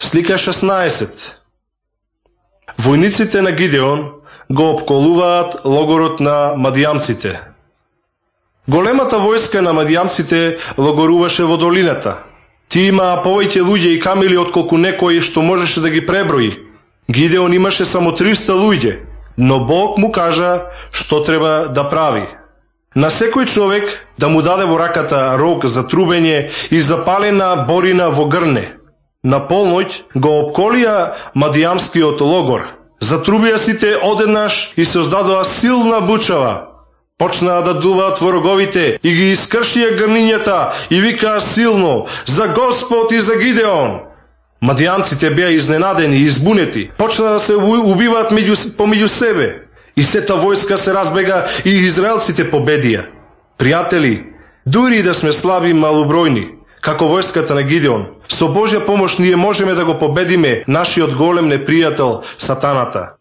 Слика 16. Војниците на Гидеон го опколуваат логорот на мадијамците. Големата војска на мадијамците логоруваше во долината. Ти имаа повеќе луѓе и камили отколку некој што можеше да ги преброи. Гидеон имаше само 300 луѓе, но Бог му кажа што треба да прави. На секој човек да му даде во раката рог за трубење и запалена борина во грне. На полноќ го опколија мадијамскиот логор. Затрубија сите одеднаш и се оздадоа силна бучава. Почнаа да дуваат во роговите и ги искршија грнињата и викаа силно: за Господ и за Гидеон! Мадијамците беа изненадени и избунети. Почнаа да се убиваат помеѓу себе. И сета војска се разбега и израелците победија. Пријатели, дури да сме слаби и малобројни, како војската на Гидеон, со Божја помош ние можеме да го победиме нашиот голем непријател сатаната.